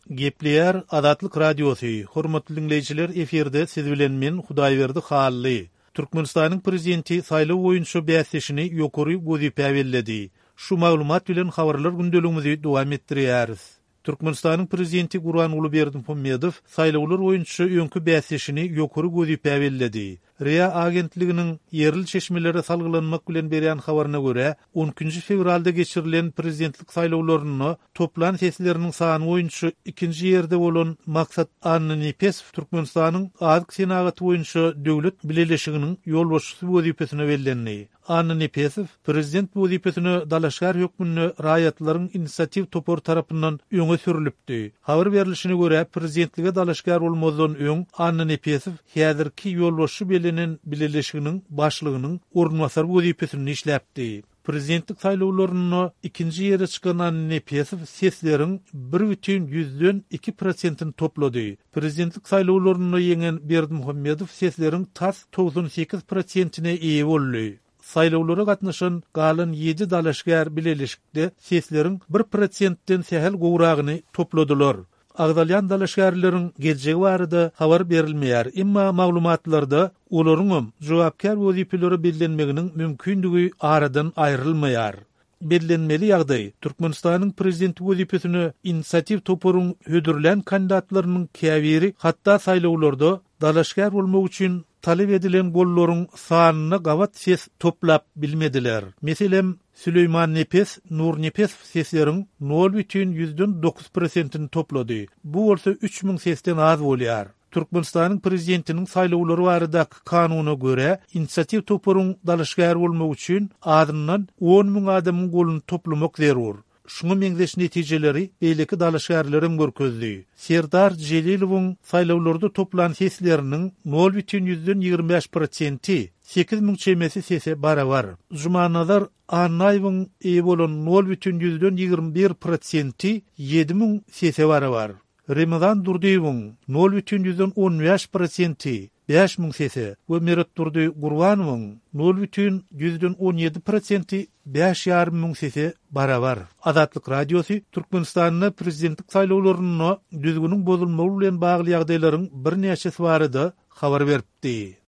Gepleýär Azatlyk Radiosy, Hormatly diňleýjiler efirde siz bilen men Hudaýberdi Hally. Türkmenistanyň Prezidenti saýlaw boýunça bäsdeşini ýokary wezipä belledi. Şu maglumat bilen habarlar gündeligimizi dowam etdirýäris. Türkmenistanyň Prezidenti Gurbanguly Berdimuhamedow saýlawlar boýunça öňki bäsdeşini ýokary wezipä belledi. Ria agentliginiň ýerli çeşmelere salgylanmak bilen berýän habaryna görä, on ikinji fewralda geçirilen prezidentlik saýlawlarynda toplan sesleriniň sany boýunça ikinji ýerde bolan Maksat Annanepesow Türkmenistanyň Azyk senagaty boýunça döwlet bileleşiginiň ýolbaşçysy wezipesine bellendi. Annanepesow prezident wezipesine dalaşgär hökmünde raýatlaryň inisiatiw topary tarapyndan öňe sürlüpdi. Habar berlişine görä, prezidentlige dalaşgär bolmazdan öň Annanepesow häzirki ýolbaşçy bellenen bileleşiginiň başlygynyň orunbasary wezipesinde işläpdi. Prezidentlik saýlawlarynda ikinji ýere çykan Annanepesow sesleriň bir bütin ýüzden iki prosentini toplady. Prezidentlik saýlawlarynda ýeňen Berdimuhamedow sesleriň tas 98 prosentine eýe boldy. Saýlawlara gatnaşan galan ýedi dalaşgär bileleşikde sesleriň bir prosentden sähel gowragyny topladylar. Agzalýan dalaşgärleriň geljegi barada habar berilmeýär, emma maglumatlarda olaryňam jogapkär wezipelere bellenmeginiň mümkindigi aradan aýrylmaýar. Bellenmeli ýagdaý, Türkmenistanyň Prezidenti wezipesine inisiatiw toparyň hödürlän kandidatlarynyň käbiri hatda saýlawlarda dalaşgär bolmak üçin talap edilen gollaryň sanyna gabat ses toplap bilmediler. Meselem, Süleýman Nepes Nurnepesow sesleriň nol bütin ýüzden dokuz prosentini toplady. Bu bolsa 3000 sesden az bolýar. Türkmenistanyň Prezidentiniň saýlawlary baradaky kanuna görä, inisiatiw toparyň dalaşgäri bolmak üçin azyndan 10 müň adamyň goluny toplamak zerur. Şuňa meňzeş netijeleri beýleki dalaşgärlerem görkezdi. Serdar Jelilowyň saýlawlarda toplan sesleriniň nol bütin ýüzden 25 prosenti 8000 çemesi sese barabar. Jumanazar Annaýewiň eýe bolan nol bütin ýüzden 21 prosenti 7000 sese barabar. Remezan Durdyýewiň nol bütin ýüzden on bäş prosenti 5000 sese we Meretdurdy Gurbanowyň nol bütin ýüzden on ýedi prosenti bäş ýarym müň sese barabar. Azatlyk Radiosy Türkmenistanda prezidentlik saýlawlarynda düzgüniň bozulmagy bilen bagly ýagdaýlaryň birnäçesi barada habar beripdi.